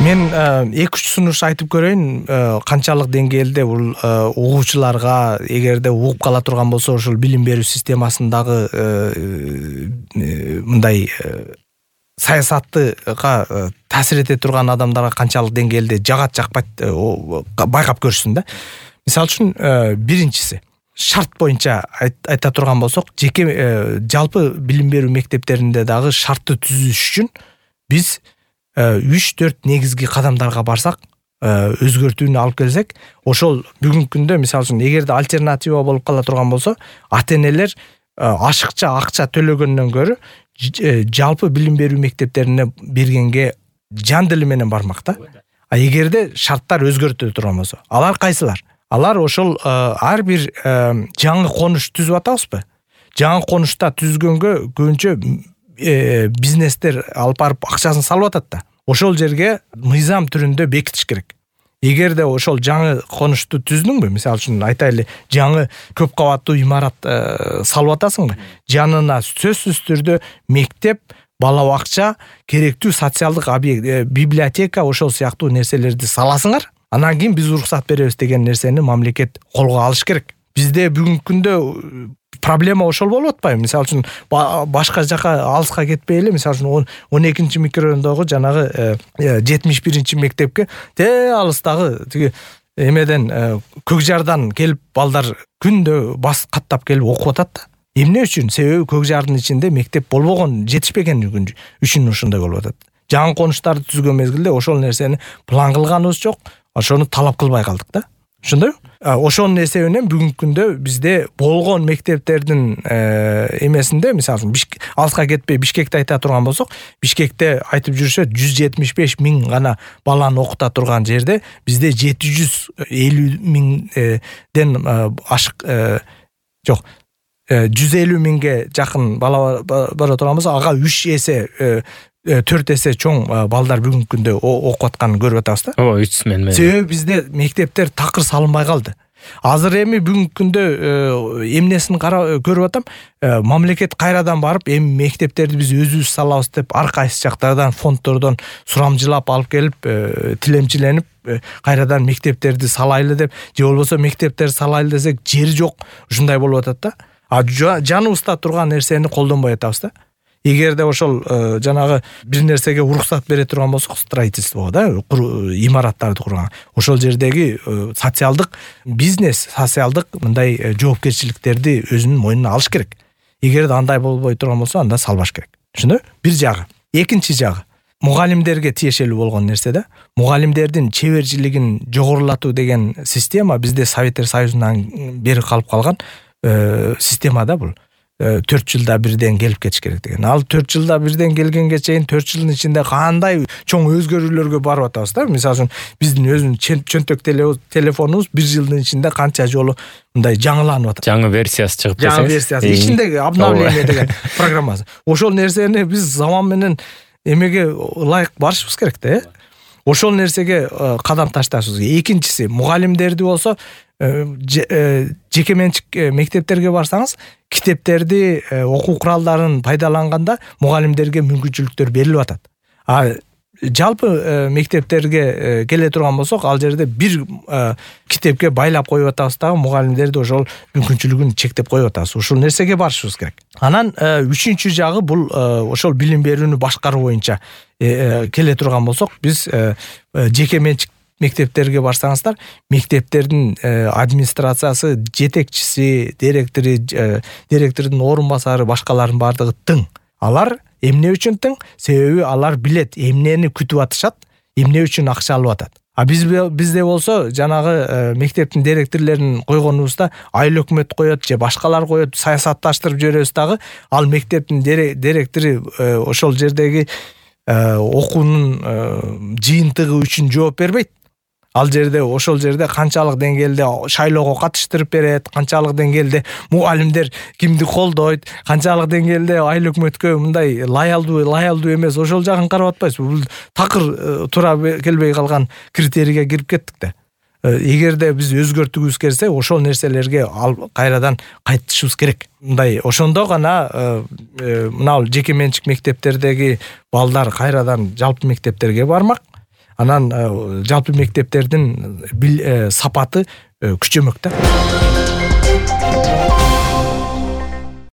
Мен 2-3 сунуш айтып көрөйүн, канчалык деңгээлде бул угуучуларга эгерде угуп кала турган болсо ошол билим берүү системасындагы мындай саясаттыга таасир эте турган адамдарга канчалык деңгээлде жагат жакпайт байкап көрүшсүн да. Мисалы үчүн биринчиси шарт боюнча айта турган болсок, жеке жалпы билим берүү мектептеринде дагы шартты түзүш үчүн биз 3-4 негизги кадамдарга барсак, өзгөртүүнү алып келсек, ошол бүгүнкү күндө мисалы үчүн эгерде альтернатива болуп кала турган болсо, ата-энелер ашыкча акча төлөгөндөн көрө жалпы билим берүү мектептерине бергенге жан дили менен бармак да. А эгерде шарттар өзгөртүлө турган болсо, алар кайсылар? Алар ошол ар бир жаңы конуш түзүп атабызбы? Жаңы конушта түзгөнгө көбүнчө бизнестер алып барып акчасын салып атат да. Ошол жерге мыйзам түрүндө бекитиш керек. Эгерде ошол жаңы конушту түздүңбү, мисалы үчүн айтайлы, жаңы көп кабаттуу имарат салып атасыңбы? Жанына сөзсүз түрдө мектеп, бала бакча, керектүү социалдык объект, библиотека ошол сыяктуу нерселерди саласыңар. Анан кийин биз уруксат беребиз деген нерсени мамлекет колго алыш керек. Бизде бүгүнкү күндө проблема ошол болуп атпайбы? Мисалы үчүн башка жака алыска кетпей эле, мисалы үчүн 12-чи микрорайондогу жанагы 71-чи мектепке алыстагы тиги эмеден Көкжардан келип балдар күндө бас каттап келип окуп атат да. Эмне үчүн? Себеби Көкжардын ичинде мектеп болбогон, жетишпеген үчүн ошондой болуп атат. Жаңы конуштарды түзгөн мезгилде ошол нерсени план кылганыбыз жок, ошону талап кылбай калдык да. Ошондойбу? Ошонун эсебинен бүгүнкү күндө бизде болгон мектептердин эмесинде, мисалы үчүн алыска кетпей Бишкекти айта турган болсок, Бишкекте айтып жүрүшөт 175 миң гана баланы окута турган жерде бизде 750 миңден ашык жок, 150 миңге жакын бала бара турган болсо, ага 3 эсе 4 эсе чоң балдар бүгүнкү күндө окуп атканын көрүп атабыз да. Ооба, 3 мен. Себеби бизде мектептер такыр салынбай калды. Азыр эми бүгүнкү күндө эмнесин көрүп атам, мамлекет кайрадан барып эми мектептерди биз өзүбүз салабыз деп ар кайсы жактардан фонддордон сурамжылап алып келип, тилемчиленип кайрадан мектептерди салайлы деп, же болбосо мектептер салайлы десек жери жок, ушундай болуп атат да. Жаныбызда турган нерсени колдонбой атабыз да. Эгерде ошол жанагы бир нерсеге уруксат бере турган болсок, строительство да, имараттарды курган, ошол жердеги социалдык бизнес, социалдык мындай жоопкерчиликтерди өзүнүн мойнуна алыш керек. Эгерде андай болбой турган болсо, анда салбаш керек. Ошондой? Бир жагы. Экинчи жагы, мугалимдерге тиешелүү болгон нерсе да. Мугалимдердин чеберчилигин жогорулатуу деген система бизде Советтер Союзунан бери калып калган система да бул. 4 жылда бирден келип кетиш керек деген. Ал 4 жылда бирден келгенге чейин 4 жылдын ичинде кандай чоң өзгөрүүлөргө барып атабыз да. Мисалы үчүн биздин өзүнүн чөнтөк телефонубуз 1 жылдын ичинде канча жолу мындай жаңыланып атат. Жаңы версиясы чыгып кетсе. Жаңы версиясы ичиндеги обновление деген программасы. Ошол нерсени биз заман менен эмеге ылайык барышыбыз керек да. Ошол нерсеге кадам ташташыбыз керек. Экинчиси, мугалимдерди болсо жеке менчик мектептерге барсаңыз, китептерди, окуу куралдарын пайдаланганда мугалимдерге мүмкүнчүлүктөр берилип атат. Жалпы мектептерге келе турган болсок, ал жерде бир китепке байлап коюп атабыз дагы, мугалимдерди ошол мүмкүнчүлүгүн чектеп коюп атабыз. Ушул нерсеге барышыбыз керек. Анан үчүнчү жагы бул ошол билим берүүнү башкаруу боюнча келе турган болсок, биз жеке менчик мектептерге барсаңыздар, мектептердин администрациясы, жетекчиси, директордун орун басары, башкалардын бардыгы тың. Алар эмне үчүн тың? Себеби алар билет эмнени күтүп атышат, эмне үчүн акча алып атат. Бизде болсо жанагы мектептин директорлорун койгонубузда айыл өкмөт коет же башкалар коет, саясатташтырып жиберебиз дагы, ал мектептин директору ошол жердеги окуунун жыйынтыгы үчүн жооп бербейт. Ал жерде ошол жерде канчалык деңгээлде шайлоого катыштырып берет, канчалык деңгээлде мугалимдер кимди колдойт, канчалык деңгээлде айыл өкмөткө мындай лаялдуу эмес, ошол жагын карап атпайсызбы? Бул такыр туура келбей калган критерийге кирип кеттик да. Эгерде биз өзгөртүгүбүз келсе, ошол нерселерге кайрадан кайтышыбыз керек. Мындай ошондо гана мына жеке менчик мектептердеги балдар кайрадан жалпы мектептерге бармак. анан жалпы мектептердин сапаты күчөмөк да.